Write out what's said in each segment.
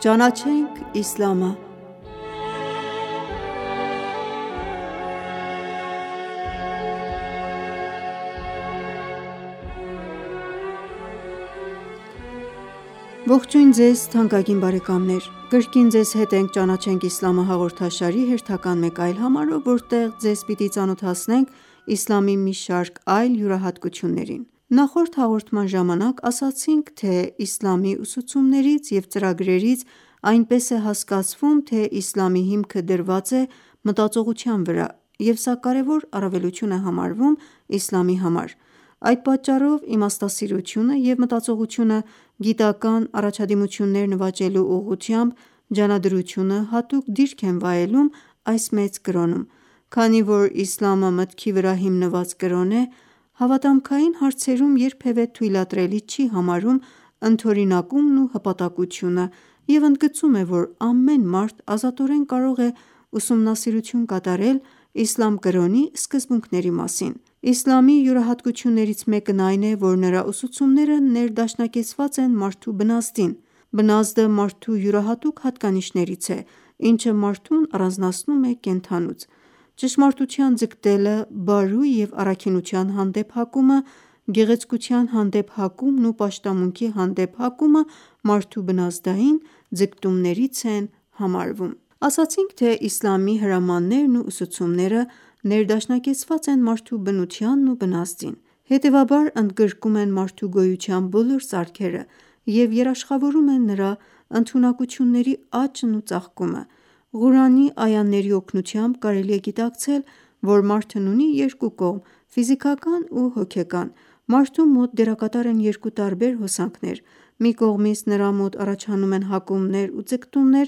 Ճանաչենք իսլամը Ողջույն ձեզ թանկագին բարեկամներ: Կրկին ձեզ հետ ենք «Ճանաչենք իսլամը» հաղորդաշարի հերթական մեկ այլ համարով, որտեղ ձեզ պիտի ծանոթացնենք իսլամի մի շարք այլ յուրահատկություններին: Նախորդ հաղորդման ժամանակ ասացինք, թե իսլամի ուսուցումներից և ծրագրերից այնպես է հասկացվում, թե իսլամի հիմքը դրված է մտածողության վրա, և սա կարևոր առավելություն է համարվում իսլամի համար: Այդ պատճառով իմաստասիրությունը և մտածողությունը գիտական առաջադիմություններ նվաճելու ուղղությամբ ջանադրությունը հատուկ դիրք են վայելում այս մեծ կրոնում: Քանի որ իսլամը մտքի վրա հիմնված կրոն է, հավատամքային հարցերում երբևէ թույլատրելի չի համարում ընդօրինակումն ու հպատակությունը և ընդգծում է, որ ամեն մարդ ազատորեն կարող է ուսումնասիրություն կատարել իսլամ կրոնի սկզբունքների մասին: Իսլամի յուրահատկություններից մեկն այն է, որ նրա ուսուցումները ներդաշնակեցված են մարդու բնազդին: Բնազդը մարդու յուրահատուկ հատկանիշներից է, ինչը մարդուն առանձնացնում է կենդանուց: Ճշմարտության ձգտելը, բարու և առաքինության հանդեպ հակումը, գեղեցկության հանդեպ հակումն ու պաշտամունքի հանդեպ հակումը մարդու բնազդային ձգտումներից են համարվում: Ասացինք, թե իսլամի հրամաններն ու ուսուցումները ներդաշնակեցված են մարդու բնությանն ու բնազդին: Հետևաբար ընդգրկում են մարդու գոյության բոլոր ծարգերը և երաշխավորում են նրա ընդունակությունների աճն ու ծաղկումը: Ղուրանի այաների օգնությամբ կարելի է գիտակցել, որ մարդն ունի երկու կողմ՝ ֆիզիկական ու հոգեկան: Մարդու մոտ դերակատար են երկու տարբեր հոսանքներ: Մի կողմից նրա մոտ առաջանում են հակումներ ու ձգտումներ,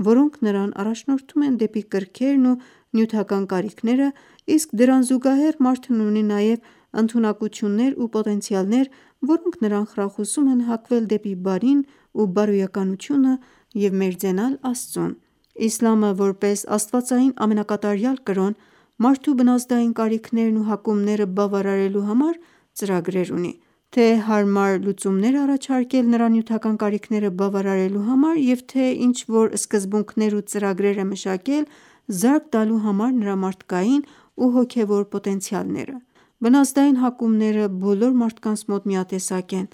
որոնք նրան առաջնորդում են դեպի կրքերն ու նյութական կարիքները, իսկ դրան զուգահեռ մարդն ունի նաև ընդունակություններ ու պոտենցիալներ, որոնք նրան խրախուսում են հակվել դեպի բարին ու բարոյականությունը և մերձենալ Աստծուն: Իսլամը, որպես աստվածային ամենակատարյալ կրոն, մարդու բնազդային կարիքներն ու հակումները բավարարելու համար ծրագրեր ունի: Թե հարմար լուծումներ է առաջարկել նրա նյութական կարիքները բավարարելու համար և թե ինչ-որ սկզբունքներ ու ծրագրեր է մշակել զարկ տալու համար նրա մարդկային ու հոգևոր պոտենցիալները: Բնազդային հակումները բոլոր մարդկանց մոտ միատեսակ են,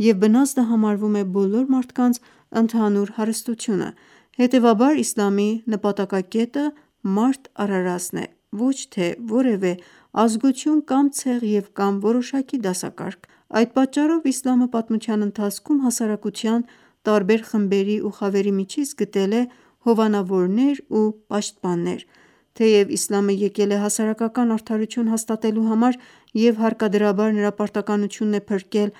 և բնազդը համարվում է բոլոր մարդկանց ընդհանուր հարստությունը: Հետևաբար իսլամի նպատակակետը մարդ արարածն է, ոչ թե որևէ ազգություն կամ ցեղ և կամ որոշակի դասակարգ: Այդ պատճառով իսլամը պատմության ընթացքում հասարակության տարբեր խմբերի ու խավերի միջից գտել է հովանավորներ ու պաշտպաններ: Թեև իսլամը եկել է հասարակական արդարություն հաստատելու համար և հարկադրաբար նրա պարտականությունն է փրկել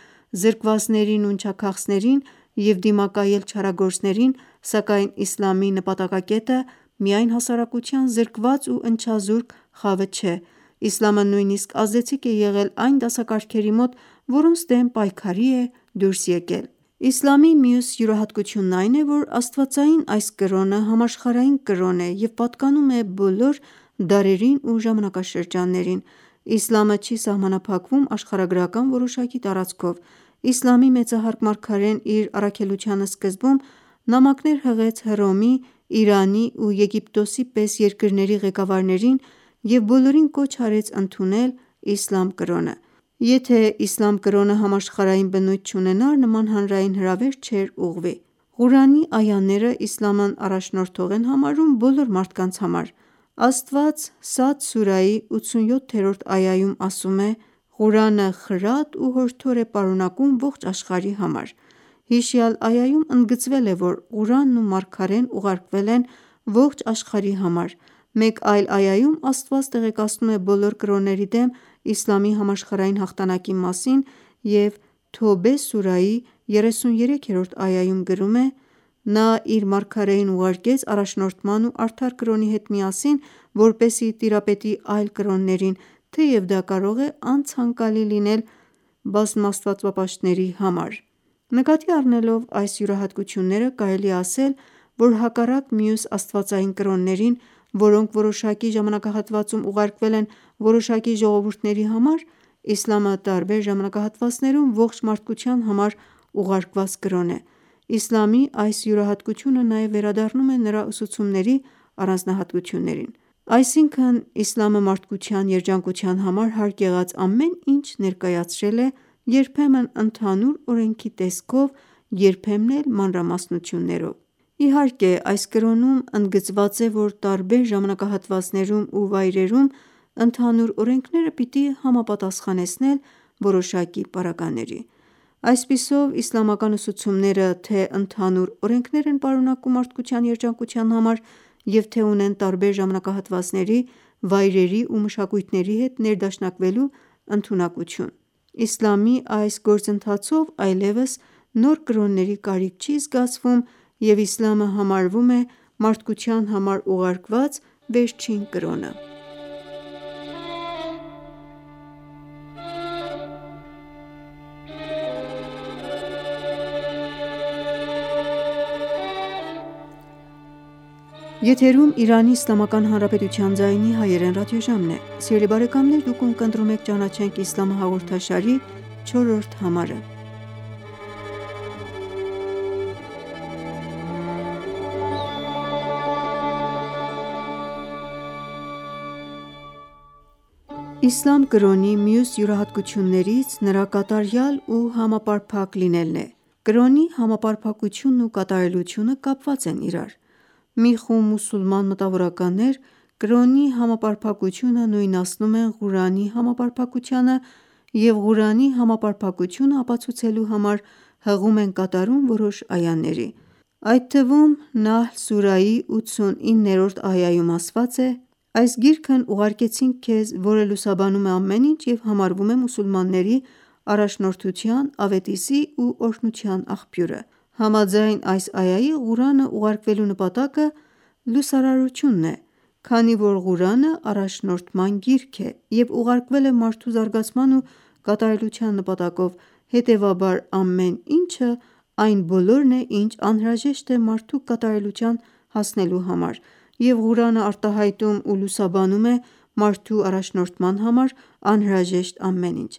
զրկվածներին ու ընչաքաղցներին և դիմակայել չարագործներին, սակայն իսլամի նպատակակետը միայն հասարակության զրկված ու ընչազուրկ խավը չէ: Իսլամը նույնիսկ ազդեցիկ է եղել այն դասակարգերի մոտ, որոնց դեմ պայքարի է դուրս եկել: Իսլամի մյուս յուրահատկությունն այն է, որ աստվածային այս կրոնը համաշխարհային կրոն է և պատկանում է բոլոր դարերին ու ժամանակաշրջաններին: Իսլամը չի սահմանափակվում աշխարհագրական որոշակի տարածքով: Իսլամի մեծահարկ մարգարեն իր առաքելության սկզբում նամակներ հղեց Հռոմի, Իրանի ու Եգիպտոսի պես երկրների ղեկավարներին և բոլորին կոչ արեց ընդունել իսլամ կրոնը: Եթե իսլամ կրոնը համաշխարհային բնույթ չունենար, նման հանրային հրավեր չէր ուղղվի: Ղուրանի այաները իսլամն առաջնորդող են համարում բոլոր մարդկանց համար: Աստված Սադ սուրայի 87-րդ այայում ասում է. «Ղուրանը խրատ ու հորդոր է պարունակում ողջ աշխարհի համար»: Հիշյալ այայում ընդգծվել է, որ Ղուրանն ու մարգարեն ուղարկվել են ողջ աշխարհի համար: Մեկ այլ այայում Աստված տեղեկացնում է բոլոր կրոնների դեմ իսլամի համաշխարհային հաղթանակի մասին և Թոբե սուրայի 33-րդ այայում գրում է. «Նա իր մարգարեին ուղարկեց առաջնորդման ու արդար կրոնի հետ միասին, որպեսզի տիրապետի այլ կրոններին, թեև դա կարող է անցանկալի լինել բազմաստվածապաշտների համար»: Նկատի առնելով այս յուրահատկությունները կարելի է ասել, որ հակառակ մյուս աստվածային կրոններին, որոնք որոշակի ժամանակահատվածում ուղարկվել են որոշակի ժողովուրդների համար, իսլամը տարբեր ժամանակահատվածներում ողջ մարդկության համար ուղարկված կրոն է: Իսլամի այս յուրահատկությունը նաև վերադառնում է նրա ուսուցումների առանձնահատկություններին: Այսինքն իսլամը մարդկության երջանկության համար հարկ եղած ամեն ինչ ներկայացրել է, երբեմն ընդհանուր օրենքի տեսքով, երբեմն էլ մանրամասնություններով: Իհարկե այս կրոնում ընդգծված է, որ տարբեր ժամանակահատվածներում ու վայրերում ընդհանուր օրենքները պիտի համապատասխանեցնել որոշակի պարագաների: Այսպիսով իսլամական ուսուցումները թե ընդհանուր օրենքներ են պարունակում մարդկության երջանկության համար և թե ունեն տարբեր ժամանակահատվածների, վայրերի ու մշակույթների հետ ներդաշնակվելու ընդունակություն: Իսլամի այս գործընթացով այլևս նոր կրոնների կարիք չի զգացվում և իսլամը համարվում է մարդկության համար ուղարկված վերջին կրոնը: Իսլամ կրոնի մյուս յուրահատկություններից նրա կատարյալ ու համապարփակ լինելն է: Կրոնի համապարփակությունն ու կատարելությունը կապված են իրար: Մի խումբ մուսուլման մտավորականներ կրոնի համապարփակությունը նույնացնում են Ղուրանի համապարփակությանը և Ղուրանի համապարփակությունը ապացուցելու համար հղում են կատարում որոշ այաների: Այդ թվում Նահլ սուրայի 89-րդ այայում ասված է. «Այս գիրքն ուղարկեցինք քեզ, որը լուսաբանում է ամեն ինչ և համարվում է մուսուլմանների առաջնորդության, ավետիսի ու օրհնության աղբյուրը»: Համաձայն այս այայի Ղուրանը ուղարկվելու նպատակը լուսարարությունն է: Քանի որ Ղուրանը առաջնորդման գիրք է և ուղարկվել է մարդու զարգացման ու կատարելության նպատակով, հետևաբար ամեն ինչը այն բոլորն է, ինչ անհրաժեշտ է մարդու կատարելության հասնելու համար և Ղուրանը արտահայտում ու լուսաբանում է մարդու առաջնորդման համար անհրաժեշտ ամեն ինչ: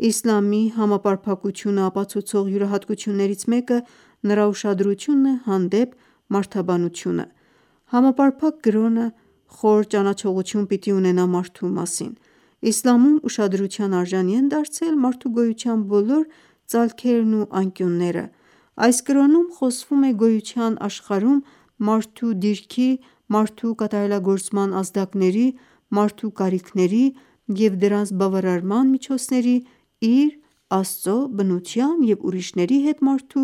Իսլամի համապարփակությունը ապացուցող յուրահատկություններից մեկը նրա ուշադրությունն է հանդեպ մարդաբանությունը: Համապարփակ կրոնը խոր ճանաչողություն պիտի ունենա մարդու մասին: Իսլամում ուշադրության արժանի են դարձել մարդու գոյության բոլոր ծալքերն ու անկյունները: Այս կրոնում խոսվում է գոյության աշխարհում մարդու դիրքի, մարդու կատարելագործման ազդակների, մարդու կարիքների և դրանց բավարարման միջոցների, իր, Աստծո, բնության և ուրիշների հետ մարդու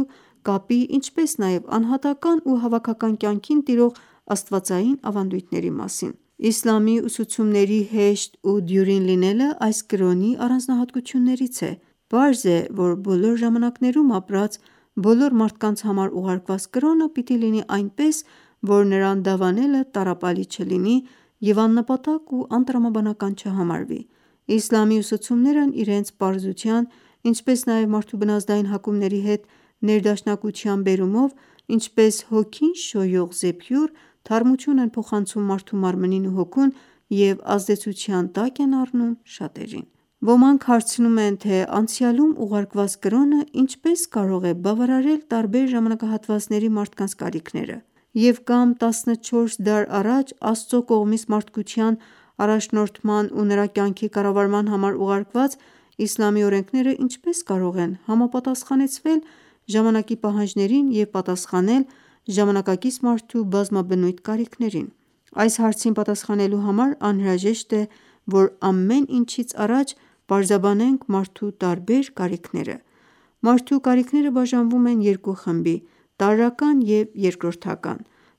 կապի, ինչպես նաև անհատական ու հավաքական կյանքին տիրող աստվածային ավանդույթների մասին: Իսլամի ուսուցումների հեշտ ու դյուրին լինելը այս կրոնի առանձնահատկություններից է: Պարզ է, որ բոլոր ժամանակներում ապրած բոլոր մարդկանց համար ուղարկված կրոնը պիտի լինի այնպես, որ նրան դավանելը տառապալի չլինի և աննպատակ ու անտրամաբանական չհամարվի: Իսլամի ուսուցումներն իրենց պարզության, ինչպես նաև մարդու բնազդային հակումների հետ ներդաշնակության բերումով ինչպես հոգին շոյող զեփյուռ, թարմություն են փոխանցում մարդու մարմնին ու հոգուն և ազդեցության տակ են առնում շատերին: Ոմանք հարցնում են, թե անցյալում ուղարկված կրոնը ինչպես կարող է բավարարել տարբեր ժամանակահատվածների մարդկանց կարիքները և կամ 14 դար առաջ Աստծո կողմից մարդկության առաջնորդման ու նրա կյանքի կառավարման համար ուղարկված իսլամի օրենքները ինչպես կարող են համապատասխանեցվել ժամանակի պահանջներին և պատասխանել ժամանակակից մարդու բազմաբնույթ կարիքներին: Այս հարցին պատասխանելու համար անհրաժեշտ է, որ ամեն ինչից առաջ պարզաբանենք մարդու տարբեր կարիքները: Մարդու կարիքները բաժանվում են երկու խմբի՝ տարրական և երկրորդական: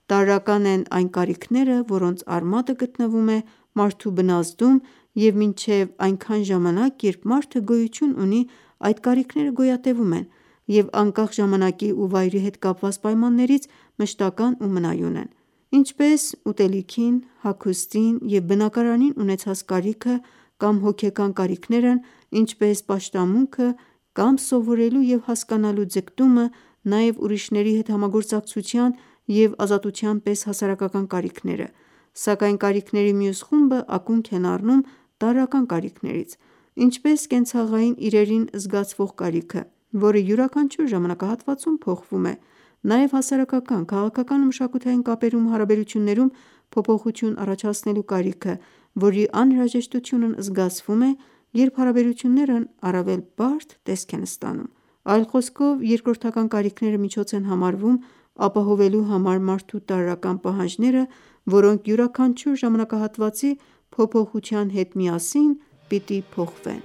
Տարրական են այն կարիքները, որոնց արմատը գտնվում է մարդու բնազդում և մինչև այնքան ժամանակ, երբ մարդը գոյություն ունի, այդ կարիքները գոյատևում են և անկախ ժամանակի ու վայրի հետ կապված պայմաններից մշտական ու մնայուն են: Ինչպես ուտելիքին, հագուստին և բնակարանին ունեցած կարիքը կամ հոգեկան կարիքներն ինչպես պաշտամունքը կամ սովորելու և հասկանալու ձգտումը, նաև ուրիշների հետ համագործակցության և ազատության պես հասարակական կարիքները: Սակայն կարիքների մյուս խումբը ակունք են առնում տարրական կարիքներից, ինչպես կենցաղային իրերին զգացվող կարիքը, որը յուրաքանչյուր ժամանակահատվածում փոխվում է: Նաև հասարակական, քաղաքական ու մշակութային կապերում ու հարաբերություններում փոփոխություն առաջացնելու կարիքը, որի անհրաժեշտությունն զգացվում է, երբ հարաբերություններն առավել բարդ տեսք են ստանում: Այլ խոսքով, երկրորդական կարիքները միջոց են համարվում ապահովելու համար մարդու տարրական պահանջները, որոնք յուրաքանչյուր ժամանակահատվածի փոփոխության հետ միասին պիտի փոխվեն: